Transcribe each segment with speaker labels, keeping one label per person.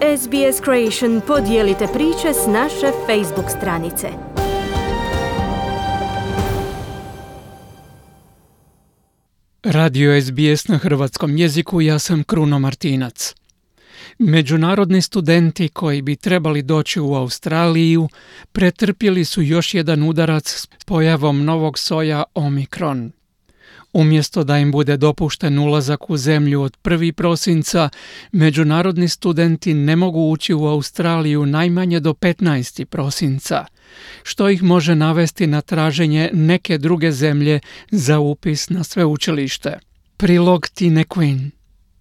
Speaker 1: SBS Creation podijelite priče s naše Facebook stranice.
Speaker 2: Radio SBS na hrvatskom jeziku, ja sam Kruno Martinac. Međunarodni studenti koji bi trebali doći u Australiju pretrpjeli su još jedan udarac s pojavom novog soja Omikron. Umjesto da im bude dopušten ulazak u zemlju od 1. prosinca, međunarodni studenti ne mogu ući u Australiju najmanje do 15. prosinca, što ih može navesti na traženje neke druge zemlje za upis na sveučilište. Prilog Tine Quinn.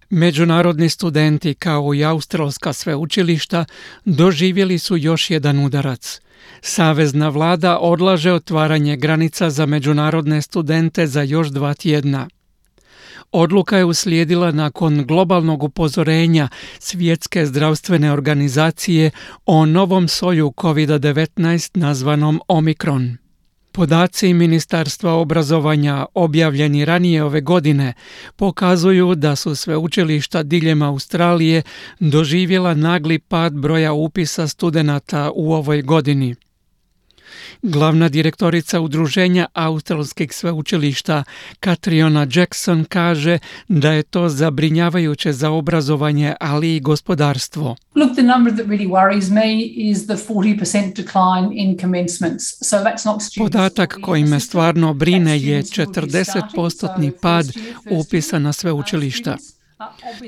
Speaker 2: Međunarodni studenti kao i australska sveučilišta doživjeli su još jedan udarac. Savezna vlada odlaže otvaranje granica za međunarodne studente za još 2 tjedna. Odluka je uslijedila nakon globalnog upozorenja Svjetske zdravstvene organizacije o novom soju COVID-19 nazvanom Omikron. Podaci Ministarstva obrazovanja objavljeni ranije ove godine pokazuju da su sveučilišta diljem Australije doživjela nagli pad broja upisa studenata u ovoj godini. Glavna direktorica Udruženja australskih sveučilišta Catriona Jackson kaže da je to zabrinjavajuće za obrazovanje, ali i gospodarstvo.
Speaker 3: Look, the number that really worries me is the 40% decline in commencements. So that's not students.
Speaker 2: Podatak koji me stvarno brine je 40% pad upisa na sveučilišta.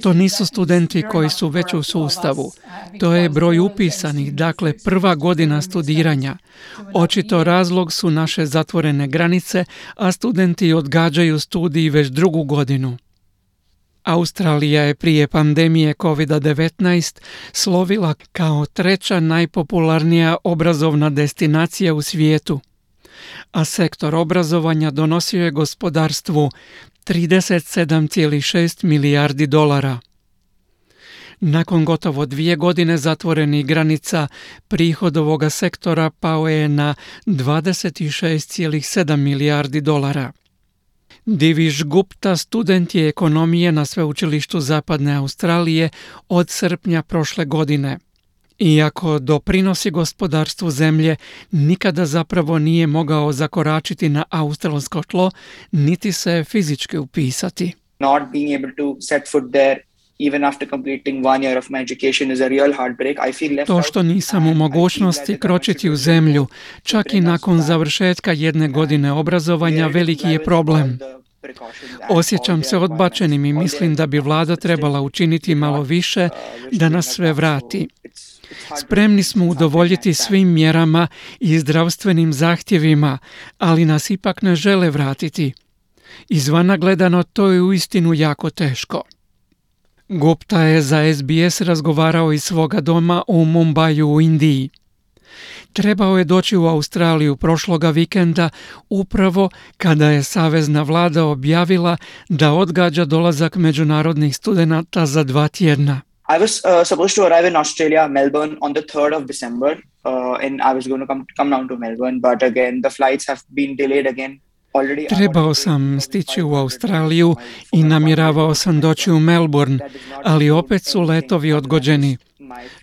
Speaker 2: To nisu studenti koji su već u sustavu. To je broj upisanih, dakle prva godina studiranja. Očito razlog su naše zatvorene granice, a studenti odgađaju studij već 2. godinu. Australija je prije pandemije COVID-19 slovila kao 3. najpopularnija obrazovna destinacija u svijetu, a sektor obrazovanja donosio je gospodarstvu $37,6 milijardi. Nakon gotovo 2 godine zatvorenih granica, prihod ovoga sektora pao je na $26,7 milijardi. Divish Gupta student je ekonomije na sveučilištu Zapadne Australije od srpnja prošle godine. Iako doprinosi gospodarstvu zemlje, nikada zapravo nije mogao zakoračiti na australsko tlo, niti se fizički upisati.
Speaker 4: Not being able to set foot there even after completing 1 year of my education is a real heartbreak. I feel left out.
Speaker 2: To što nisam u mogućnosti kročiti u zemlju, čak i nakon završetka 1 godine obrazovanja, veliki je problem. Osjećam se odbačenim i mislim da bi vlada trebala učiniti malo više da nas sve vrati. Spremni smo udovoljiti svim mjerama i zdravstvenim zahtjevima, ali nas ipak ne žele vratiti. Izvana gledano, to je uistinu jako teško. Gupta je za SBS razgovarao iz svoga doma u Mumbaju u Indiji. Trebao je doći u Australiju prošloga vikenda upravo kada je savezna vlada objavila da odgađa dolazak međunarodnih studenata za 2 tjedna.
Speaker 4: I was supposed to arrive in Australia, Melbourne, on the 3rd of December, and I was going to come down to Melbourne, but again, the flights have been delayed again.
Speaker 2: Trebao sam stići u Australiju i namjeravao sam doći u Melbourne, ali opet su letovi odgođeni.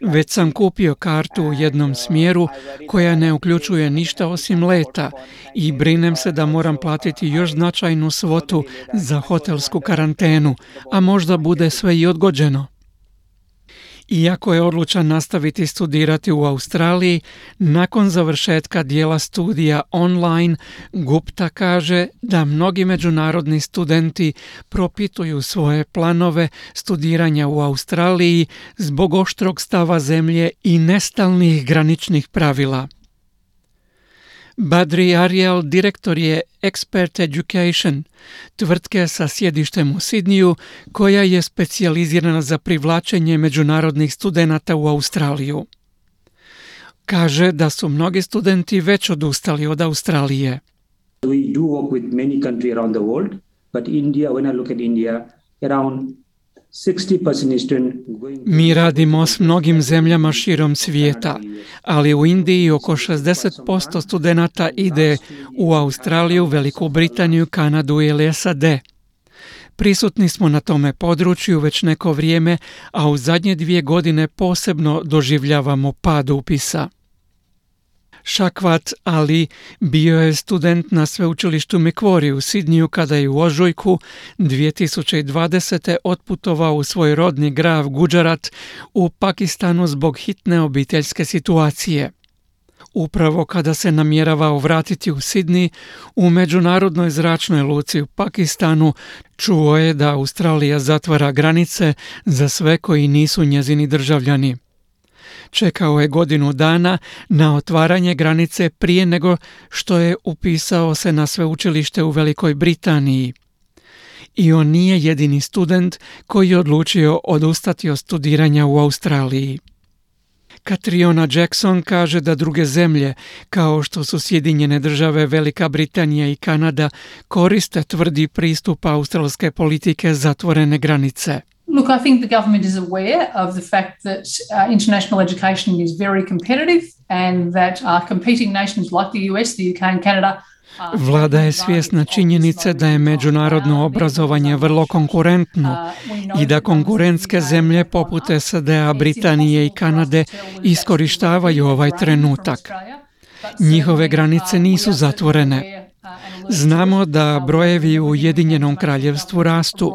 Speaker 2: Već sam kupio kartu u jednom smjeru koja ne uključuje ništa osim leta i brinem se da moram platiti još značajnu svotu za hotelsku karantenu, a možda bude sve i odgođeno. Iako je odlučan nastaviti studirati u Australiji, nakon završetka dijela studija online, Gupta kaže da mnogi međunarodni studenti propituju svoje planove studiranja u Australiji zbog oštrog stava zemlje i nestalnih graničnih pravila. Badri Ariel direktor je Expert Education, tvrtke sa sjedištem u Sidniju, koja je specijalizirana za privlačenje međunarodnih studenata u Australiju. Kaže da su mnogi studenti već odustali od Australije.
Speaker 5: We do work with many countries around the world, but India, when I look at India, around 60% student going.
Speaker 2: Mi radimo s mnogim zemljama širom svijeta, ali u Indiji oko 60% studenata ide u Australiju, Veliku Britaniju, Kanadu ili SAD. Prisutni smo na tome području već neko vrijeme, a u zadnje 2 godine posebno doživljavamo pad upisa. Shawkat Ali bio je student na sveučilištu Macquarie u Sidniju kada je u ožujku 2020. otputovao u svoj rodni grad Gujarat u Pakistanu zbog hitne obiteljske situacije. Upravo kada se namjeravao vratiti u Sidney, u međunarodnoj zračnoj luci u Pakistanu čuo je da Australija zatvara granice za sve koji nisu njezini državljani. Čekao je godinu dana na otvaranje granice prije nego što je upisao se na sveučilište u Velikoj Britaniji. I on nije jedini student koji je odlučio odustati od studiranja u Australiji. Catriona Jackson kaže da druge zemlje, kao što su Sjedinjene Države, Velika Britanija i Kanada, koriste tvrdi pristup australske politike zatvorene granice.
Speaker 3: Look, I think the government is aware of the fact that international education is very competitive and that competing nations like the US, the UK and Canada
Speaker 2: Vlada je svjesna činjenice da je međunarodno obrazovanje vrlo konkurentno i da konkurentske zemlje poput SAD-a, Britanije i Kanade iskorištavaju ovaj trenutak. Njihove granice nisu zatvorene. Znamo da brojevi u Ujedinjenom Kraljevstvu rastu.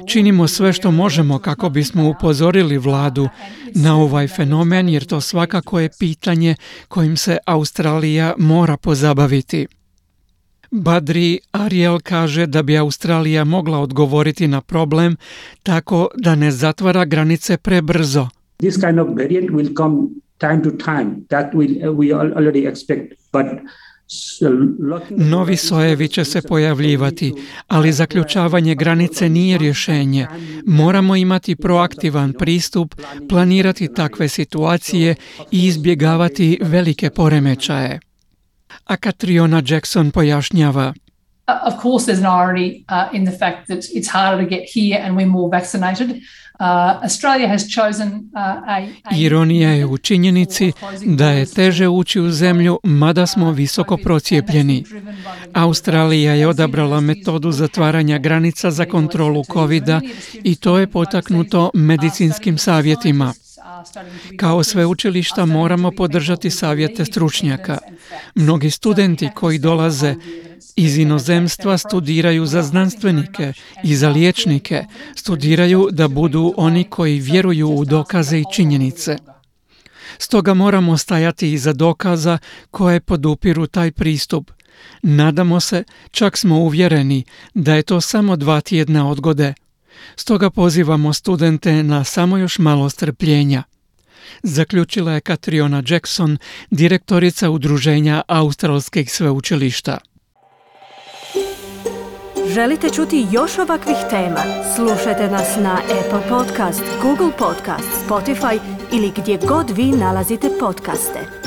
Speaker 2: Činimo sve što možemo kako bismo upozorili vladu na ovaj fenomen, jer to svakako je pitanje kojim se Australija mora pozabaviti. Badri Ariel kaže da bi Australija mogla odgovoriti na problem tako da ne zatvara granice prebrzo.
Speaker 5: This kind of variant will come time to time. That we already expect, but
Speaker 2: novi sojevi će se pojavljivati, ali zaključavanje granice nije rješenje. Moramo imati proaktivan pristup, planirati takve situacije i izbjegavati velike poremećaje. A Catriona Jackson pojašnjava.
Speaker 3: Of course, there's an irony in the fact that it's harder to get here and we're more vaccinated. Australia has chosen
Speaker 2: Ironija je u činjenici da je teže ući u zemlju, mada smo visoko procijepljeni. Australija je odabrala metodu zatvaranja granica za kontrolu COVID-a i to je potaknuto medicinskim savjetima. Kao sveučilišta moramo podržati savjete stručnjaka. Mnogi studenti koji dolaze iz inozemstva studiraju za znanstvenike i za liječnike, studiraju da budu oni koji vjeruju u dokaze i činjenice. Stoga moramo stajati iza dokaza koje podupiru taj pristup. Nadamo se, čak smo uvjereni da je to samo 2 tjedna odgode. Stoga pozivamo studente na samo još malo strpljenja. Zaključila je Catriona Jackson, direktorica Udruženja australskih sveučilišta.
Speaker 1: Želite čuti još ovakvih tema? Slušajte nas na Apple Podcast, Google Podcast, Spotify ili gdje god vi nalazite podcaste.